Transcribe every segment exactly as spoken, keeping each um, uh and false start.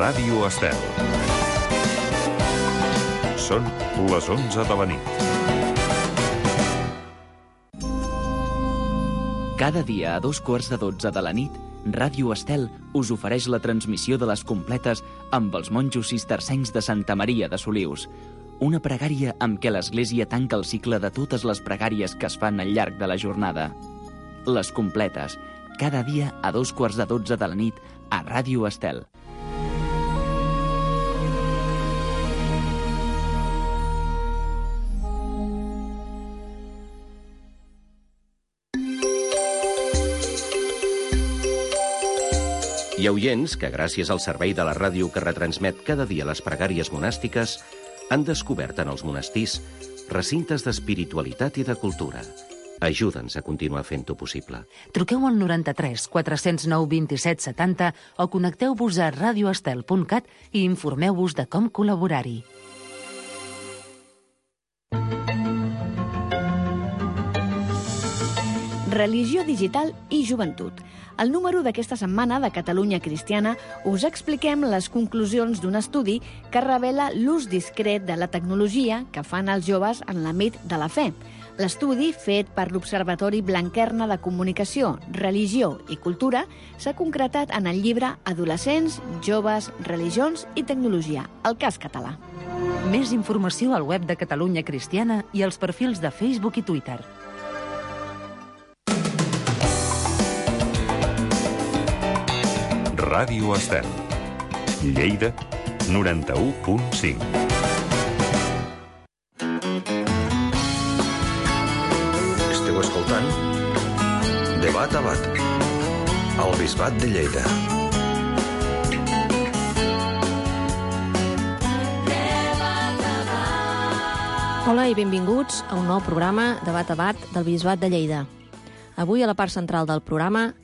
Ràdio Estel. Són les onze de la nit. Cada dia a dos quarts de dotze de la nit, Ràdio Estel us ofereix la transmissió de les completes amb els monjos cistercencs de Santa Maria de Solius. Una pregària amb què l'Església tanca el cicle de totes les pregàries que es fan al llarg de la jornada. Les completes, cada dia a dos quarts de dotze de la nit a Ràdio Estel. Hi ha oients que, gràcies al servei de la ràdio que retransmet cada dia les pregàries monàstiques, han descobert en els monestirs recintes d'espiritualitat i de cultura. Ajuda'ns a continuar fent-ho possible. Truqueu al noranta-tres quatre cents nou vint-i-set setanta o connecteu-vos a radioestel punt cat i informeu-vos de com col·laborar-hi. Religió digital i joventut. Al número d'aquesta setmana de Catalunya Cristiana us expliquem les conclusions d'un estudi que revela l'ús discret de la tecnologia que fan els joves en l'àmbit de la fe. L'estudi, fet per l'Observatori Blanquerna de Comunicació, Religió i Cultura, s'ha concretat en el llibre Adolescents, joves, religions i tecnologia, el cas català. Més informació al web de Catalunya Cristiana i als perfils de Facebook i Twitter. Ràdio Estel. Lleida, noranta-u punt cinc. Esteu escoltant Debat a Bat, al Bisbat de Lleida. Hola i benvinguts a un nou programa Debat a Bat del Bisbat de Lleida. Avui, a la part central del programa,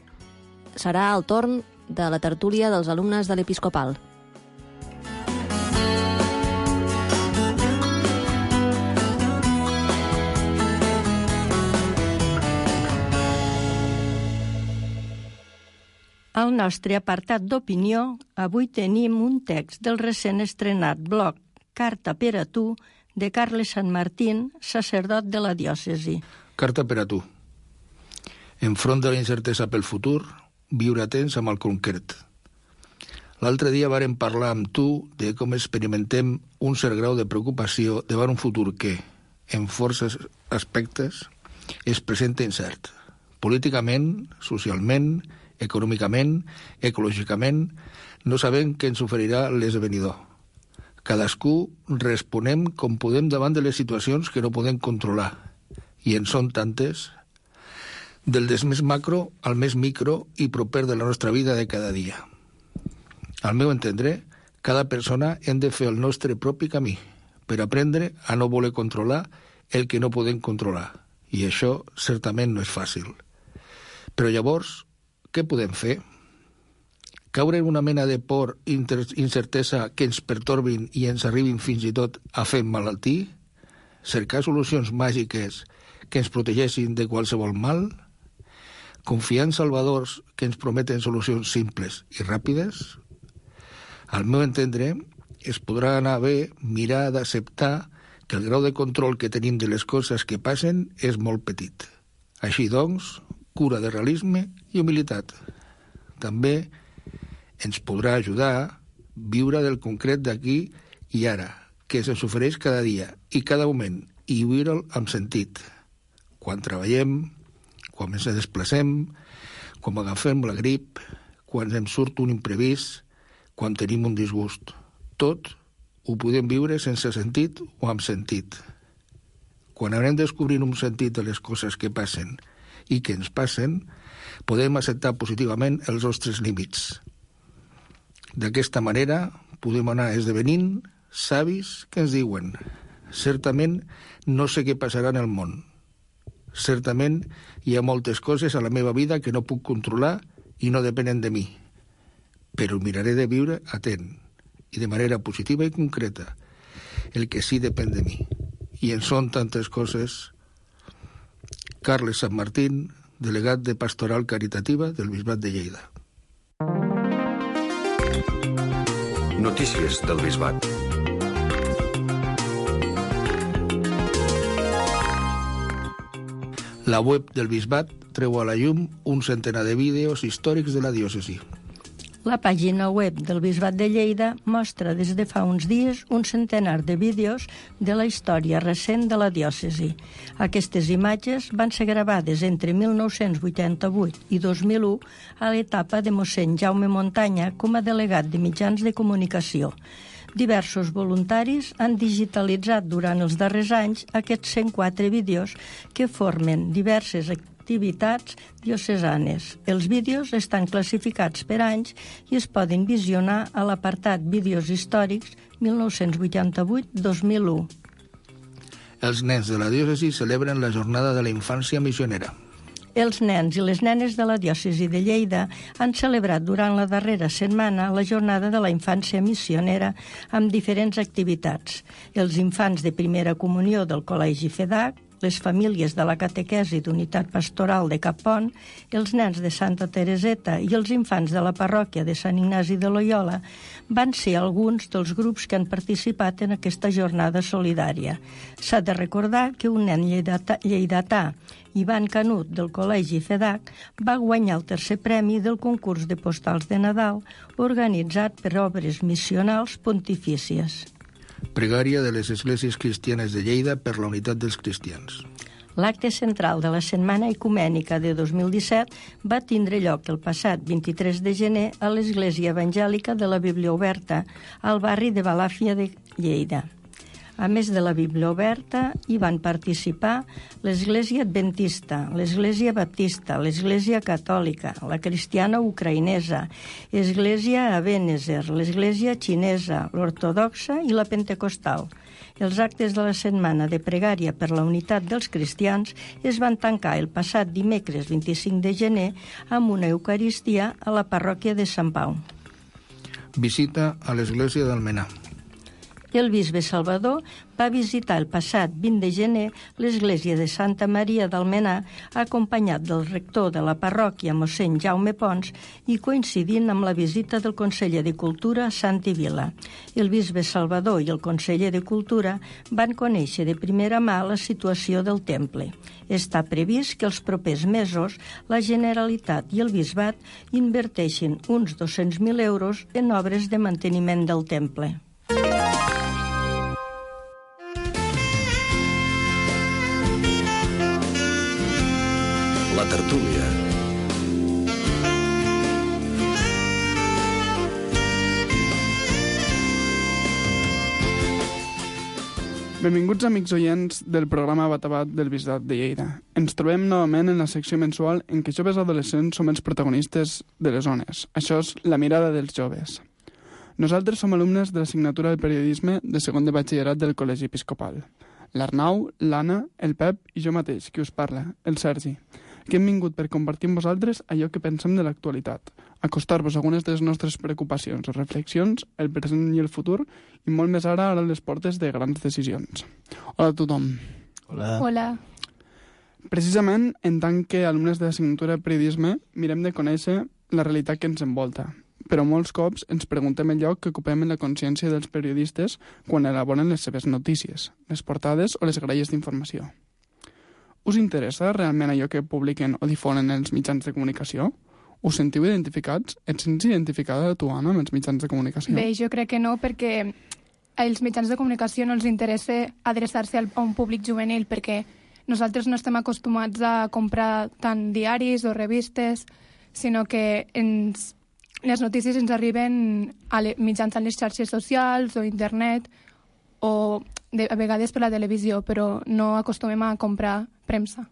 serà el torn de la tertúlia dels alumnes de l'Episcopal. Al nostre apartat d'opinió, avui tenim un text del recent estrenat blog Carta per a tu, de Carles Sanmartín, sacerdot de la diòcesi. Carta per a tu. Enfront de la incertesa pel futur, viure atents amb el concret. L'altre dia vàrem parlar amb tu de com experimentem un cert grau de preocupació davant un futur que, en forces aspectes, es presenta incert. Políticament, socialment, econòmicament, ecològicament, no sabem què ens oferirà l'esdevenidor. Cadascú responem com podem davant de les situacions que no podem controlar, i en són tantes, del des més macro al més micro i proper de la nostra vida de cada dia. Al meu entendre, cada persona hem de fer el nostre propi camí per aprendre a no voler controlar el que no podem controlar, i això certament no és fàcil. Però llavors, què podem fer? Caure en una mena de por i incertesa que ens pertorbin i ens arribin fins i tot a fer malaltir? Cercar solucions màgiques que ens protegeixin de qualsevol mal? Confiar en salvadors que ens prometen solucions simples i ràpides? Al meu entendre, es podrà anar bé mirar d'acceptar que el grau de control que tenim de les coses que passen és molt petit. Així doncs, cura de realisme i humilitat. També ens podrà ajudar a viure del concret d'aquí i ara, que se'ns ofereix cada dia i cada moment, i viure'l amb sentit. Quan treballem, quan ens desplacem, quan agafem la grip, quan em surt un imprevist, quan tenim un disgust. Tot ho podem viure sense sentit o amb sentit. Quan anem descobrint un sentit de les coses que passen i que ens passen, podem acceptar positivament els nostres límits. D'aquesta manera podem anar esdevenint savis que ens diuen: certament no sé què passarà en el món. Certament hi ha moltes coses a la meva vida que no puc controlar i no depenen de mi. Però miraré de viure atent i de manera positiva i concreta el que sí depèn de mi. I en són tantes coses. Carles Sanmartín, delegat de Pastoral Caritativa del Bisbat de Lleida. Notícies del Bisbat. La web del Bisbat treu a la llum un centenar de vídeos històrics de la diòcesi. La pàgina web del Bisbat de Lleida mostra des de fa uns dies un centenar de vídeos de la història recent de la diòcesi. Aquestes imatges van ser gravades entre mil nou-cents vuitanta-vuit i dos mil u a l'etapa de mossèn Jaume Montanya com a delegat de mitjans de comunicació. Diversos voluntaris han digitalitzat durant els darrers anys aquests cent quatre vídeos que formen diverses activitats diocesanes. Els vídeos estan classificats per anys i es poden visionar a l'apartat Vídeos històrics mil nou-cents vuitanta-vuit a dos mil u. Els nens de la diòcesi celebren la Jornada de la Infància Missionera. Els nens i les nenes de la diòcesi de Lleida han celebrat durant la darrera setmana la Jornada de la Infància Missionera amb diferents activitats. Els infants de primera comunió del Col·legi FEDAC, les famílies de la catequesi d'unitat pastoral de Cappont, els nens de Santa Tereseta i els infants de la parròquia de Sant Ignasi de Loyola van ser alguns dels grups que han participat en aquesta jornada solidària. S'ha de recordar que un nen lleidatà, lleidatà Ivan Canut, del Col·legi FEDAC, va guanyar el tercer premi del concurs de postals de Nadal organitzat per Obres Missionals Pontifícies. Pregària de les esglésies cristianes de Lleida per la unitat dels cristians. L'acte central de la Setmana Ecumènica de dos mil disset va tindre lloc el passat vint-i-tres de gener a l'Església Evangèlica de la Bíblia Oberta, al barri de Balàfia de Lleida. A més de la Bíblia Oberta, hi van participar l'Església Adventista, l'Església Baptista, l'Església Catòlica, la Cristiana Ucraïnesa, l'Església Ebenezer, l'Església Xinesa, l'Ortodoxa i la Pentecostal. Els actes de la setmana de pregària per la unitat dels cristians es van tancar el passat dimecres vint-i-cinc de gener amb una Eucaristia a la parròquia de Sant Pau. Visita a l'Església d'Almenar. El bisbe Salvador va visitar el passat vint de gener l'església de Santa Maria d'Almenar acompanyat del rector de la parròquia mossèn Jaume Pons i coincidint amb la visita del conseller de Cultura a Santi Vila. El bisbe Salvador i el conseller de Cultura van conèixer de primera mà la situació del temple. Està previst que els propers mesos la Generalitat i el bisbat inverteixin uns dos-cents mil euros en obres de manteniment del temple. La tertúlia. Benvinguts amics oients del programa Bat a Bat del Bisbat de Lleida. Ens trobem novament en la secció mensual en què joves adolescents som els protagonistes de les zones. Això és La mirada dels joves. Nosaltres som alumnes de l'assignatura de periodisme de segon de batxillerat del Col·legi Episcopal. L'Arnau, l'Anna, el Pep i jo mateix, qui us parla, el Sergi, que hem vingut per compartir amb vosaltres allò que pensem de l'actualitat, acostar-vos algunes de les nostres preocupacions o reflexions, el present i el futur, i molt més ara a les portes de grans decisions. Hola a tothom. Hola. Hola. Precisament, en tant que alumnes de l'assignatura de periodisme, mirem de conèixer la realitat que ens envolta, però molts cops ens preguntem el lloc que ocupem en la consciència dels periodistes quan elaboren les seves notícies, les portades o les gralles d'informació. Us interessa realment allò que publiquen o difonen els mitjans de comunicació? Us sentiu identificats? Et sents identificada tu, Anna, amb els mitjans de comunicació? Bé, jo crec que no, perquè als mitjans de comunicació no els interessa adreçar-se a un públic juvenil, perquè nosaltres no estem acostumats a comprar tant diaris o revistes, sinó que ens, les notícies ens arriben a le, mitjançant les xarxes socials o internet o de, a vegades per la televisió, però no acostumem a comprar premsa.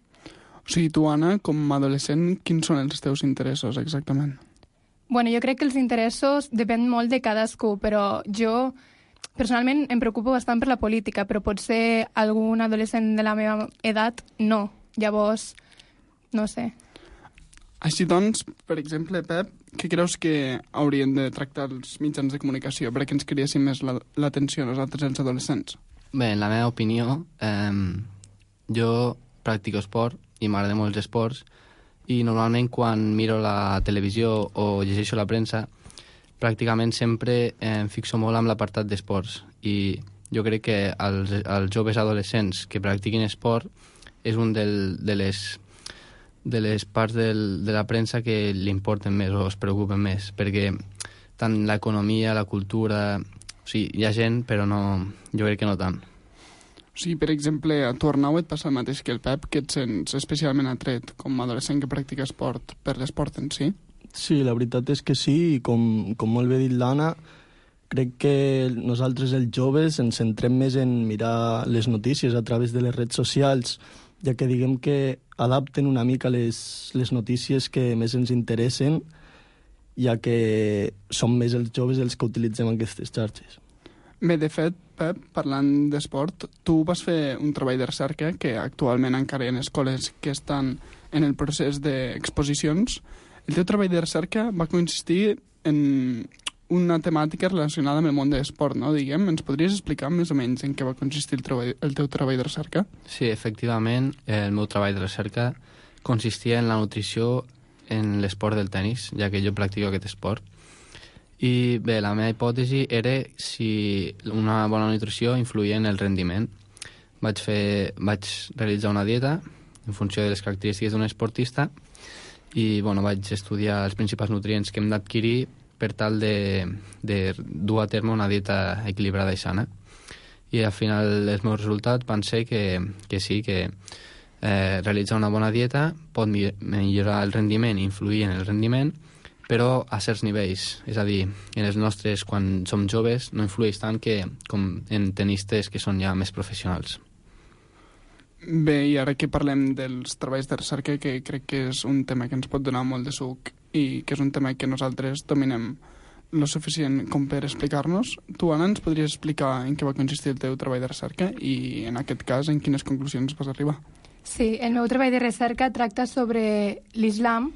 O sigui, tu, Anna, com a adolescent, quins són els teus interessos exactament? Bueno, jo crec que els interessos depèn molt de cadascú, però jo personalment em preocupo bastant per la política, però potser algun adolescent de la meva edat no. Llavors, no sé. Així doncs, per exemple, Pep, què creus que haurien de tractar els mitjans de comunicació perquè ens criessin més l'atenció a nosaltres, els adolescents? Bé, en la meva opinió, eh, jo practico esport i m'agraden molt els esports i normalment quan miro la televisió o llegeixo la premsa pràcticament sempre em fixo molt amb l'apartat d'esports i jo crec que als, als joves adolescents que practiquin esport és un del, de, les, de les parts del, de la premsa que li importen més o es preocupen més, perquè tant l'economia, la cultura... O sigui, hi ha gent, però no, jo crec que no tant. O sigui, per exemple, a tu, Arnau, et passa el mateix que el Pep, que et sents especialment atret com a adolescent que practica esport per l'esport en si? Sí, la veritat és que sí, i com, com molt bé dit l'Anna, crec que nosaltres, els joves, ens centrem més en mirar les notícies a través de les redes socials, ja que diguem que adapten una mica les, les notícies que més ens interessen, ja que som més els joves els que utilitzem aquestes xarxes. Bé, de fet, Pep, parlant d'esport, tu vas fer un treball de recerca que actualment encara hi ha escoles que estan en el procés d'exposicions. El teu treball de recerca va consistir en una temàtica relacionada amb el món de l'esport, no? Diguem, ens podries explicar més o menys en què va consistir el, treball, el teu treball de recerca? Sí, efectivament, el meu treball de recerca consistia en la nutrició en l'esport del tennis, ja que jo practico aquest esport. I bé, la meva hipòtesi era si una bona nutrició influïa en el rendiment. Vaig, fer, vaig realitzar una dieta en funció de les característiques d'un esportista i bueno, vaig estudiar els principals nutrients que hem d'adquirir per tal de, de dur a terme una dieta equilibrada i sana. I al final els meus resultats van ser que, que sí, que eh, realitzar una bona dieta pot millorar el rendiment i influir en el rendiment, però a certs nivells. És a dir, en els nostres, quan som joves, no influeix tant que com en tenistes que són ja més professionals. Bé, i ara que parlem dels treballs de recerca, que crec que és un tema que ens pot donar molt de suc i que és un tema que nosaltres dominem lo suficient com per explicar-nos, tu, Anna, ens podries explicar en què va consistir el teu treball de recerca i, en aquest cas, en quines conclusions vas arribar? Sí, el meu treball de recerca tracta sobre l'islam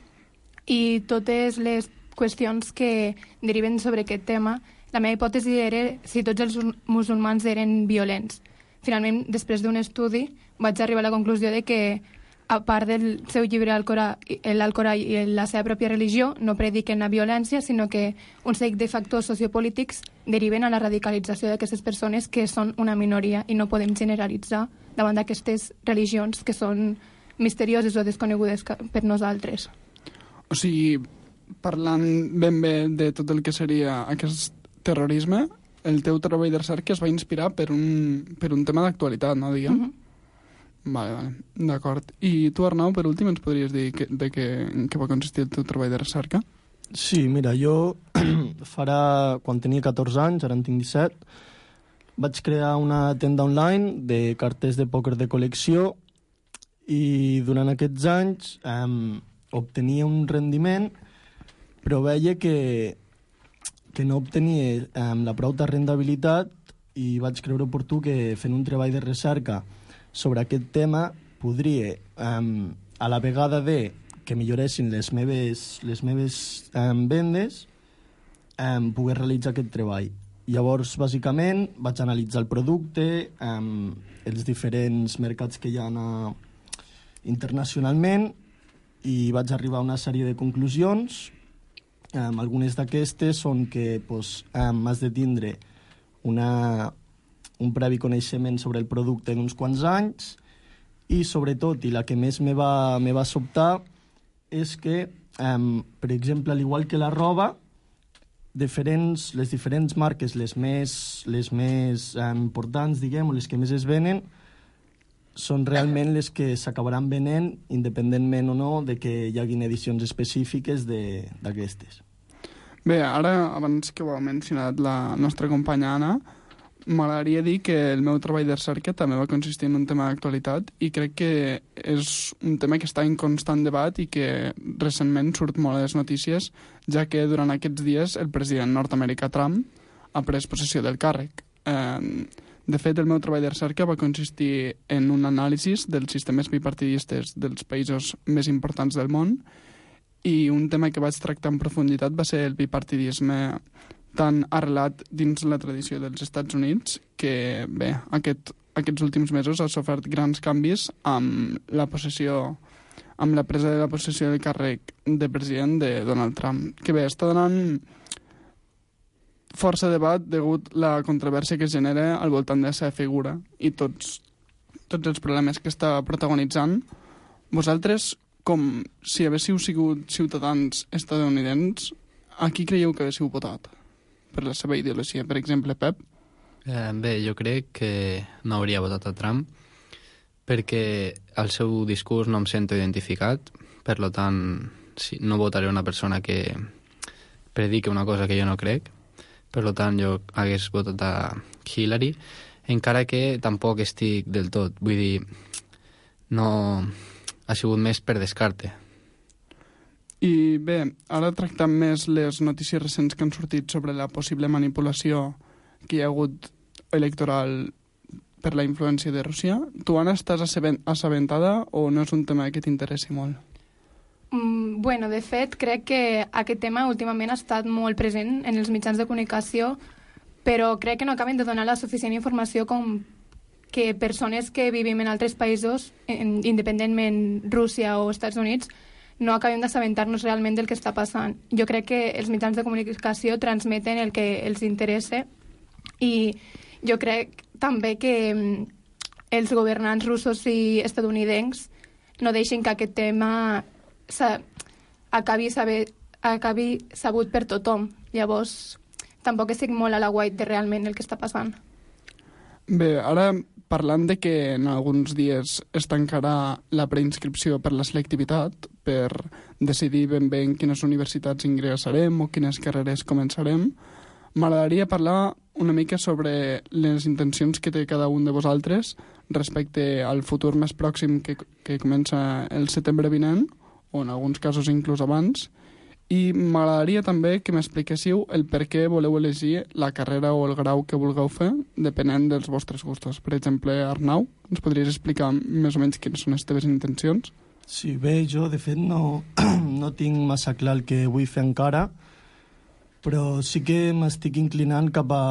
i totes les qüestions que deriven sobre aquest tema. La meva hipòtesi era si tots els musulmans eren violents. Finalment, després d'un estudi, vaig arribar a la conclusió de que, a part del seu llibre Alcorà, l'Alcorà i la seva pròpia religió, no prediquen la violència, sinó que un seguit de factors sociopolítics deriven a la radicalització d'aquestes persones que són una minoria i no podem generalitzar davant d'aquestes religions que són misterioses o desconegudes per nosaltres. O sigui, parlant ben bé de tot el que seria aquest terrorisme, el teu treball de recerca es va inspirar per un, per un tema d'actualitat, no, diguem? Mm-hmm. Vale, vale, d'acord. I tu, Arnau, per últim, ens podries dir que, de què, en què va consistir el teu treball de recerca? Sí, mira, jo farà, quan tenia catorze anys, ara en tinc disset, vaig crear una tenda online de cartes de pòquer de col·lecció i durant aquests anys eh, obtenia un rendiment, però veia que, que no obtenia eh, la prou rendibilitat i vaig creure oportú que fent un treball de recerca sobre aquest tema podria, um, a la vegada de que milloressin les meves, les meves um, vendes, um, poder realitzar aquest treball. Llavors, bàsicament, vaig analitzar el producte, um, els diferents mercats que hi ha uh, internacionalment i vaig arribar a una sèrie de conclusions. Um, algunes d'aquestes són que pues, um, has de tindre una... un previ coneixement sobre el producte d'uns quants anys i, sobretot, i la que més me va, me va sobtar, és que, um, per exemple, al igual que la roba, diferents, les diferents marques, les més, les més um, importants, diguem, o les que més es venen, són realment les que s'acabaran venent, independentment o no de que hi hagin edicions específiques d'aquestes. Bé, ara, abans que ho ha mencionat la nostra companya Anna, m'agradaria dir que el meu treball de recerca també va consistir en un tema d'actualitat i crec que és un tema que està en constant debat i que recentment surt molt a les notícies, ja que durant aquests dies el president nord-americà Trump ha pres possessió del càrrec. Eh, de fet, el meu treball de recerca va consistir en un anàlisi dels sistemes bipartidistes dels països més importants del món i un tema que vaig tractar en profunditat va ser el bipartidisme tan arrelat dins la tradició dels Estats Units que, bé, aquest, aquests últims mesos ha sofert grans canvis amb la possessió, amb la presa de la possessió del càrrec de president de Donald Trump, que bé, està donant força debat degut la controvèrsia que es genera al voltant de la seva figura i tots, tots els problemes que està protagonitzant. Vosaltres, com si haguéssiu sigut ciutadans estadounidencs, a qui creieu que haguéssiu votat per la seva ideologia? Per exemple, Pep? Eh, bé, jo crec que no hauria votat a Trump perquè el seu discurs no em sento identificat, per lo tant, sí, no votaré una persona que predique una cosa que jo no crec, per lo tant, jo hagués votat a Hillary, encara que tampoc estic del tot, vull dir, no ha sigut més per descarte. I bé, ara tractant més les notícies recents que han sortit sobre la possible manipulació que hi ha hagut electoral per la influència de Rússia, tu, Anna, estàs assabentada o no és un tema que t'interessi molt? Mm, bueno, de fet, crec que aquest tema últimament ha estat molt present en els mitjans de comunicació, però crec que no acaben de donar la suficient informació com que persones que vivim en altres països, en, independentment Rússia o Estats Units, no acabem d'assabentar-nos realment del que està passant. Jo crec que els mitjans de comunicació transmeten el que els interessa i jo crec també que els governants russos i estadounidencs no deixen que aquest tema acabi, saber, acabi sabut per tothom. Llavors, tampoc estic molt a la guait de realment el que està passant. Bé, ara parlant de que en alguns dies es tancarà la preinscripció per la selectivitat, per decidir ben bé en quines universitats ingressarem o quines carreres començarem, m'agradaria parlar una mica sobre les intencions que té cada un de vosaltres respecte al futur més pròxim que, que comença el setembre vinent, o en alguns casos inclús abans, i m'agradaria també que m'expliquéssiu el per què voleu elegir la carrera o el grau que vulgueu fer, depenent dels vostres gustos. Per exemple, Arnau, ens podries explicar més o menys quines són les teves intencions? Sí, bé, jo de fet no, no tinc massa clar el que vull fer encara, però sí que m'estic inclinant cap a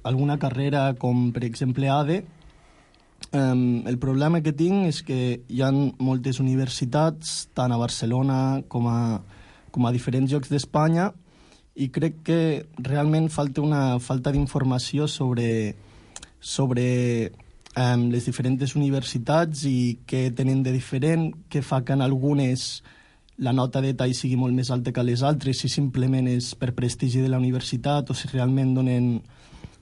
alguna carrera com, per exemple, A D E. Um, el problema que tinc és que hi ha moltes universitats, tant a Barcelona com a com a diferents llocs d'Espanya, i crec que realment falta una falta d'informació sobre, sobre um, les diferents universitats i què tenen de diferent, què fa que en algunes la nota de tall sigui molt més alta que les altres, si simplement és per prestigi de la universitat o si realment donen,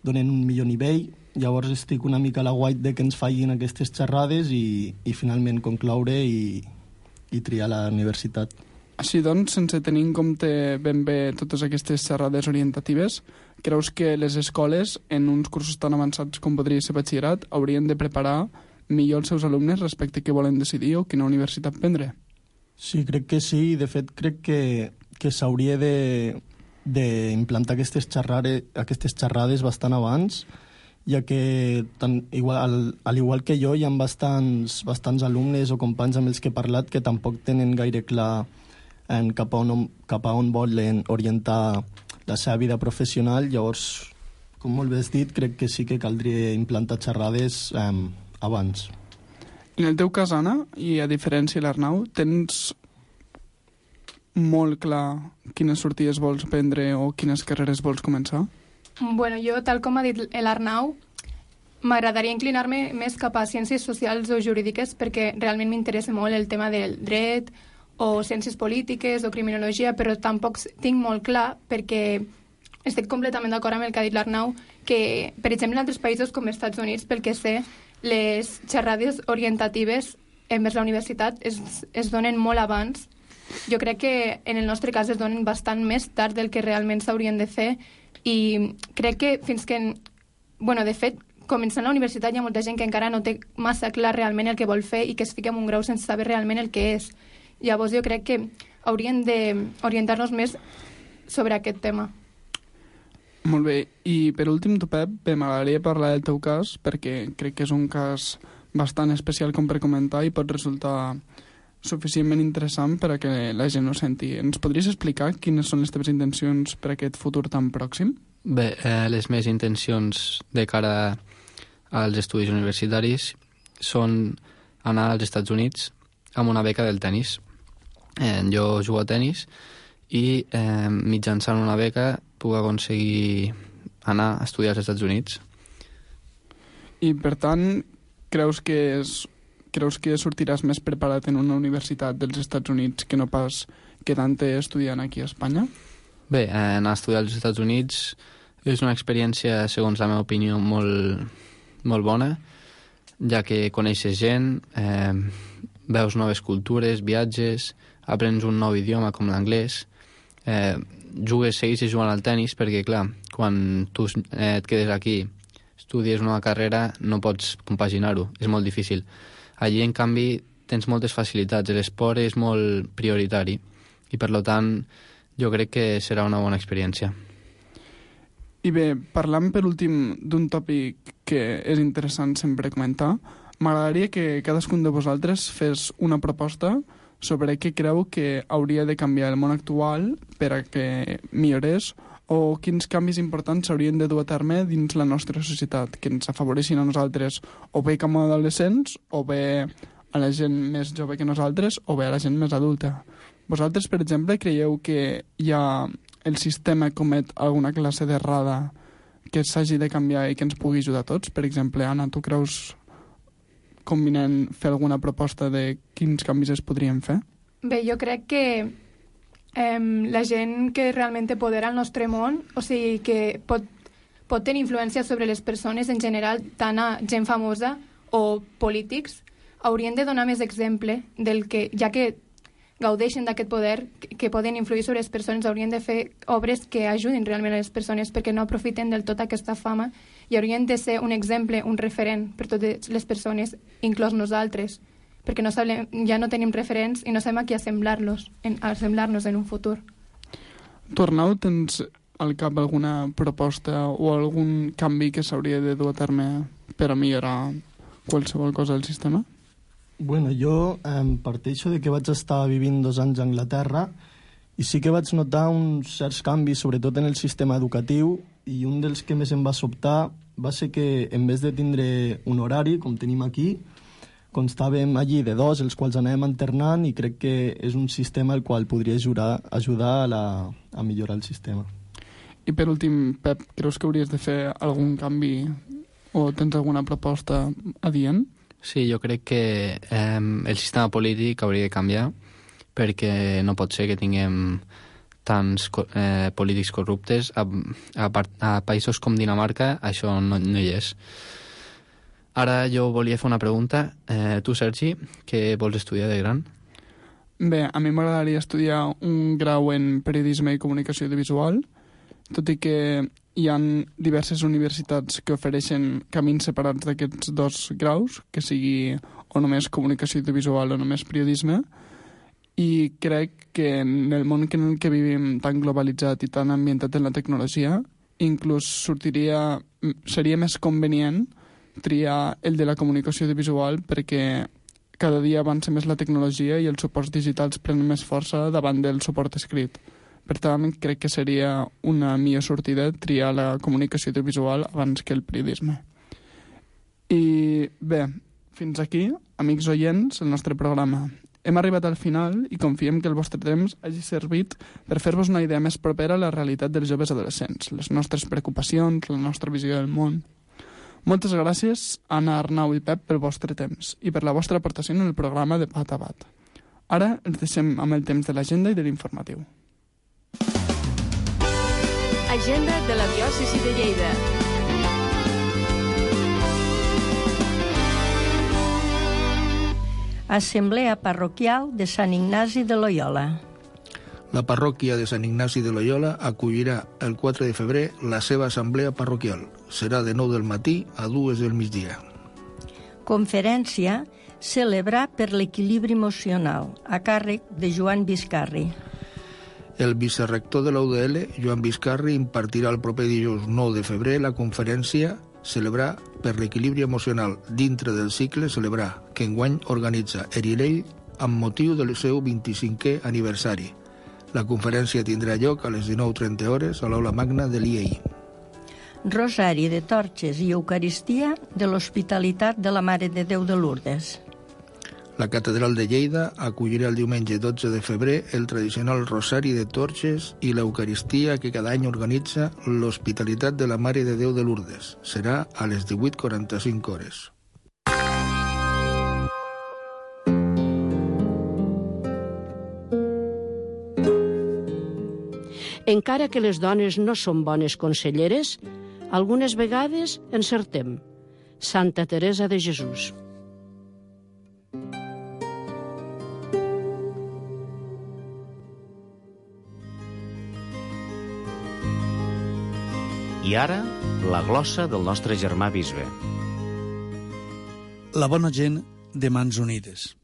donen un millor nivell. Llavors estic una mica a la guait de que ens fallin aquestes xerrades i, i finalment concloure i, i triar la universitat. Així doncs, sense tenir en compte ben bé totes aquestes xerrades orientatives, creus que les escoles, en uns cursos tan avançats com podria ser batxillerat, haurien de preparar millor els seus alumnes respecte a què volen decidir o quina universitat prendre? Sí, crec que sí. De fet, crec que, que s'hauria d'implantar aquestes xerrades, aquestes xerrades bastant abans, ja que, tan, igual, al, al igual que jo, hi ha bastants, bastants alumnes o companys amb els que he parlat que tampoc tenen gaire clar en cap a on, cap a on volen orientar la seva vida professional. Llavors, com molt bé has dit, crec que sí que caldria implantar xerrades eh, abans. En el teu cas, Anna, i a diferència de l'Arnau, tens molt clar quines sortides vols prendre o quines carreres vols començar? Bueno, jo, tal com ha dit l'Arnau, m'agradaria inclinar-me més cap a ciències socials o jurídiques perquè realment m'interessa molt el tema del dret o ciències polítiques o criminologia, però tampoc tinc molt clar perquè estic completament d'acord amb el que ha dit l'Arnau, que, per exemple, en altres països com els Estats Units, pel que sé, les xerrades orientatives envers la universitat es, es donen molt abans. Jo crec que en el nostre cas es donen bastant més tard del que realment s'haurien de fer i crec que fins que... Bueno, de fet, començant la universitat hi ha molta gent que encara no té massa clar realment el que vol fer i que es fica en un grau sense saber realment el que és. Llavors jo crec que haurien d'orientar-nos més sobre aquest tema. Molt bé. I per últim, tu, Pep, bé, m'agradaria parlar del teu cas perquè crec que és un cas bastant especial com per comentar i pot resultar suficientment interessant per a que la gent ho senti. Ens podries explicar quines són les teves intencions per a aquest futur tan pròxim? Bé, eh, les meves intencions de cara als estudis universitaris són anar als Estats Units amb una beca del tennis. Eh, jo jugo a tennis i eh, mitjançant una beca puc aconseguir anar a estudiar als Estats Units. I, per tant, creus que, és, creus que sortiràs més preparat en una universitat dels Estats Units que no pas quedant-te estudiant aquí a Espanya? Bé, anar a estudiar als Estats Units és una experiència, segons la meva opinió, molt, molt bona, ja que coneixes gent, eh, veus noves cultures, viatges, aprens un nou idioma com l'anglès, eh, jugues, segueixes jugant al tennis, perquè, clar, quan tu eh, et quedes aquí, estudies una carrera, no pots compaginar-ho, és molt difícil. Allí, en canvi, tens moltes facilitats, l'esport és molt prioritari, i per tant, jo crec que serà una bona experiència. I bé, parlant per últim d'un tòpic que és interessant sempre comentar, m'agradaria que cadascun de vosaltres fes una proposta sobre què creu que hauria de canviar el món actual per a que millorés o quins canvis importants s'haurien de dur a terme dins la nostra societat, que ens afavoreixin a nosaltres o bé com a adolescents o bé a la gent més jove que nosaltres o bé a la gent més adulta. Vosaltres, per exemple, creieu que hi ha el sistema comet alguna classe d'errada que s'hagi de canviar i que ens pugui ajudar a tots? Per exemple, Anna, tu creus convenient fer alguna proposta de quins canvis es podrien fer? Bé, jo crec que eh, la gent que realment té poder al nostre món, o sigui, que pot, pot tenir influència sobre les persones en general, tant a gent famosa o polítics, haurien de donar més exemple del que, ja que gaudeixen d'aquest poder, que, que poden influir sobre les persones, haurien de fer obres que ajudin realment a les persones perquè no aprofiten del tot aquesta fama i haurien de ser un exemple, un referent per totes les persones, inclòs nosaltres, perquè no sabem, ja no tenim referents i no sabem a qui assemblar-los, en, assemblar-nos en un futur. Tu, Arnau, tens al cap alguna proposta o algun canvi que s'hauria de dur a terme per a millorar qualsevol cosa del sistema? Bueno, jo eh, parteixo de que vaig estar vivint dos anys a Anglaterra i sí que vaig notar uns certs canvis, sobretot en el sistema educatiu, i un dels que més em va sobtar va ser que en vez de tindre un horari, com tenim aquí, constàvem allí de dos, els quals anàvem alternant, i crec que és un sistema el qual podria ajudar, ajudar a, la, a millorar el sistema. I per últim, Pep, creus que hauries de fer algun canvi o tens alguna proposta adient? Sí, jo crec que eh, el sistema polític hauria de canviar perquè no pot ser que tinguem tants eh, polítics corruptes. A, a, a països com Dinamarca això no, no hi és. Ara jo volia fer una pregunta. Eh, tu, Sergi, què vols estudiar de gran? Bé, a mi m'agradaria estudiar un grau en periodisme i comunicació audiovisual, tot i que hi ha diverses universitats que ofereixen camins separats d'aquests dos graus, que sigui o només comunicació audiovisual o només periodisme, i crec que en el món en el que vivim tan globalitzat i tan ambientat en la tecnologia, inclús sortiria, seria més convenient triar el de la comunicació audiovisual perquè cada dia avança més la tecnologia i els suports digitals prenen més força davant del suport escrit. Per tant, crec que seria una millor sortida triar la comunicació audiovisual abans que el periodisme. I bé, fins aquí, amics oients, el nostre programa. Hem arribat al final i confiem que el vostre temps hagi servit per fer-vos una idea més propera a la realitat dels joves adolescents, les nostres preocupacions, la nostra visió del món. Moltes gràcies, Anna, Arnau i Pep, pel vostre temps i per la vostra aportació en el programa de Bat a Bat. Ara ens deixem amb el temps de l'agenda i de l'informatiu. Agenda de la diòcesi de Lleida. Assemblea parroquial de Sant Ignasi de Loyola. La parròquia de Sant Ignasi de Loyola acollirà el quatre de febrer la seva assemblea parroquial. Serà de nou del matí a dues del migdia. Conferència Celebrar per l'equilibri emocional, a càrrec de Joan Biscarri. El vicerrector de la U D L, Joan Biscarri, impartirà el proper dijous nou de febrer la conferència Celebrar per l'equilibri emocional dintre del cicle Celebrar, que enguany organitza Erilell amb motiu del seu vint-i-cinquè aniversari. La conferència tindrà lloc a les dinou trenta hores a l'aula magna de l'I E I. Rosari de torxes i Eucaristia de l'Hospitalitat de la Mare de Déu de Lourdes. La Catedral de Lleida acollirà el diumenge dotze de febrer el tradicional Rosari de Torxes i l'Eucaristia que cada any organitza l'Hospitalitat de la Mare de Déu de Lourdes. Serà a les divuit quaranta-cinc hores. Encara que les dones no són bones conselleres, algunes vegades encertem. Santa Teresa de Jesús. I ara, la glossa del nostre germà bisbe. La bona gent de Mans Unides.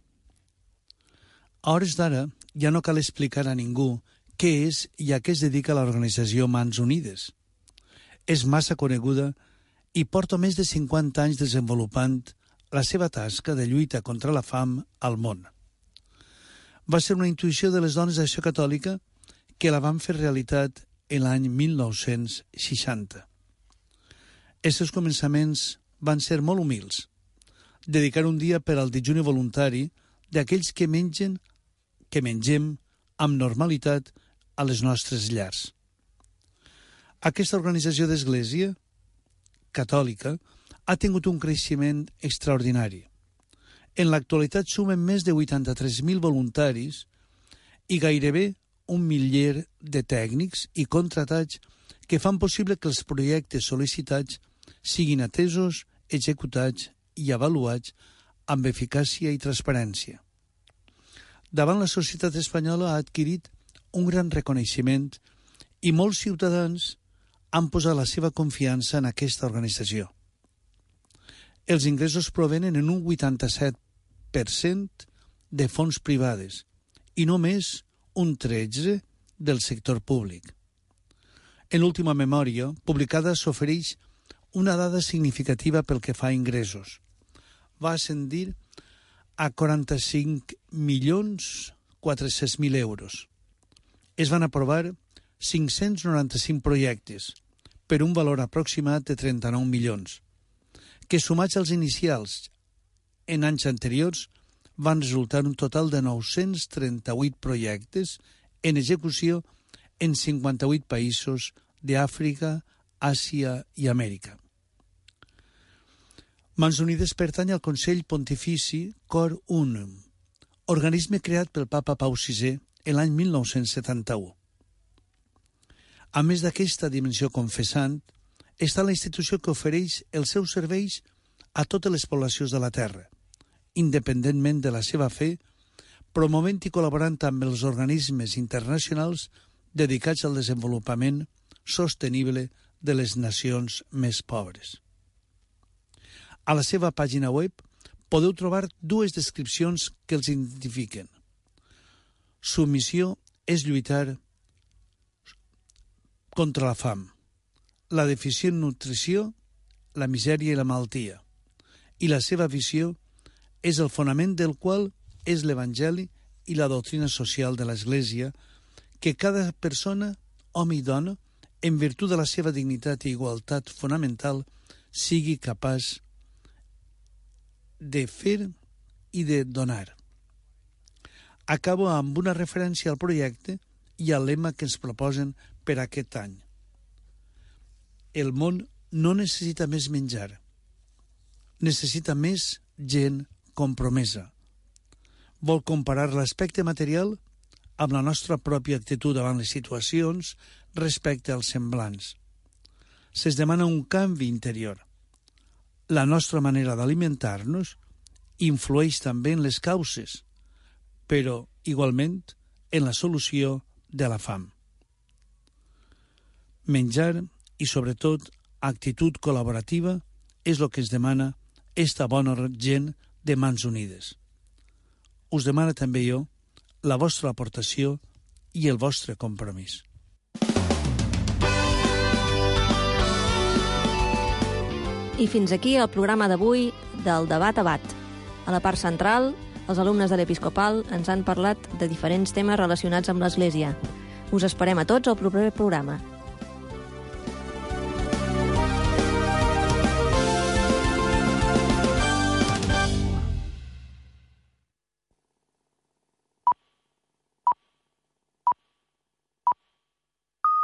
A hores d'ara ja no cal explicar a ningú què és i a què es dedica l'organització Mans Unides. És massa coneguda i porta més de cinquanta anys desenvolupant la seva tasca de lluita contra la fam al món. Va ser una intuïció de les dones d'Acció Catòlica que la van fer realitat en l'any mil nou-cents seixanta. Els seus començaments van ser molt humils. Dedicar un dia per al dejuni voluntari d'aquells que mengen, que mengem amb normalitat a les nostres llars. Aquesta organització d'església catòlica ha tingut un creixement extraordinari. En l'actualitat sumen més de vuitanta-tres mil voluntaris i gairebé un miler de tècnics i contratats que fan possible que els projectes sol·licitats siguin atesos, executats i avaluats amb eficàcia i transparència. Davant la societat espanyola ha adquirit un gran reconeixement i molts ciutadans han posat la seva confiança en aquesta organització. Els ingressos provenen en un vuitanta-set per cent de fons privades i només un tretze per cent del sector públic. En l'última memòria, publicada, s'ofereix una dada significativa pel que fa a ingressos. Va ascendir a quaranta-cinc milions quatre-cents mil euros. Es van aprovar cinc-cents noranta-cinc projectes per un valor aproximat de trenta-nou milions, que sumats als inicials en anys anteriors van resultar un total de nou-cents trenta-vuit projectes en execució en cinquanta-vuit països d'Àfrica, Àsia i Amèrica. Mans Unides pertany al Consell Pontifici Cor Unum, organisme creat pel papa Pau sisè en l'any mil nou-cents setanta-u. A més d'aquesta dimensió confessant, està la institució que ofereix els seus serveis a totes les poblacions de la Terra, independentment de la seva fe, promovent i col·laborant amb els organismes internacionals dedicats al desenvolupament sostenible de les nacions més pobres. A la seva pàgina web podeu trobar dues descripcions que els identifiquen. Su missió és lluitar contra la fam, la deficient nutrició, la misèria i la malaltia, i la seva visió és el fonament del qual és l'Evangeli i la doctrina social de l'Església, que cada persona, home i dona, en virtut de la seva dignitat i igualtat fonamental, sigui capaç de fer i de donar. Acabo amb una referència al projecte i al lema que ens proposen per aquest any. El món no necessita més menjar, necessita més gent compromesa. Vol comparar l'aspecte material amb la nostra pròpia actitud davant les situacions respecte als semblants. Se'ns demana un canvi interior. La nostra manera d'alimentar-nos influeix també en les causes, però igualment en la solució de la fam. Menjar i, sobretot, actitud col·laborativa és el que ens demana esta bona gent de Mans Unides. Us demano també jo la vostra aportació i el vostre compromís. I fins aquí el programa d'avui del Debat a Bat. A la part central, els alumnes de l'Episcopal ens han parlat de diferents temes relacionats amb l'Església. Us esperem a tots al proper programa.